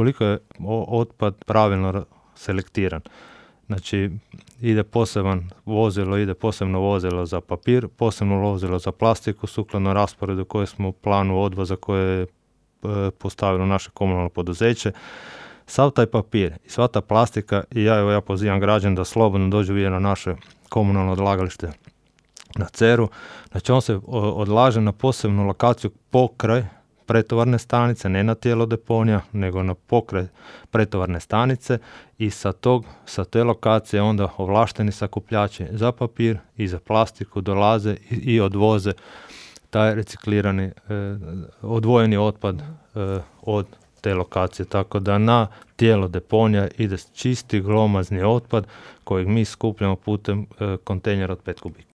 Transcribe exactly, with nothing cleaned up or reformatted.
ukoliko je otpad pravilno selektiran. Znači, ide poseban vozilo, ide posebno vozilo za papir, posebno vozilo za plastiku, sukladno rasporedu koje smo u planu odvoza koje je postavilo naše komunalno poduzeće. Sav taj papir i sva ta plastika, i ja, evo, ja pozivam građan da slobodno dođu vidjeti na naše komunalno odlagalište na Ceru. Znači, on se odlaže na posebnu lokaciju pokraj pretovarne stanice, ne na tijelo deponija, nego na pokraj pretovarne stanice i sa, tog, sa te lokacije onda ovlašteni sakupljači za papir i za plastiku dolaze i, i odvoze taj reciklirani, eh, odvojeni otpad eh, od te lokacije. Tako da na tijelo deponija ide čisti glomazni otpad kojeg mi skupljamo putem eh, kontejnera od pet kubika.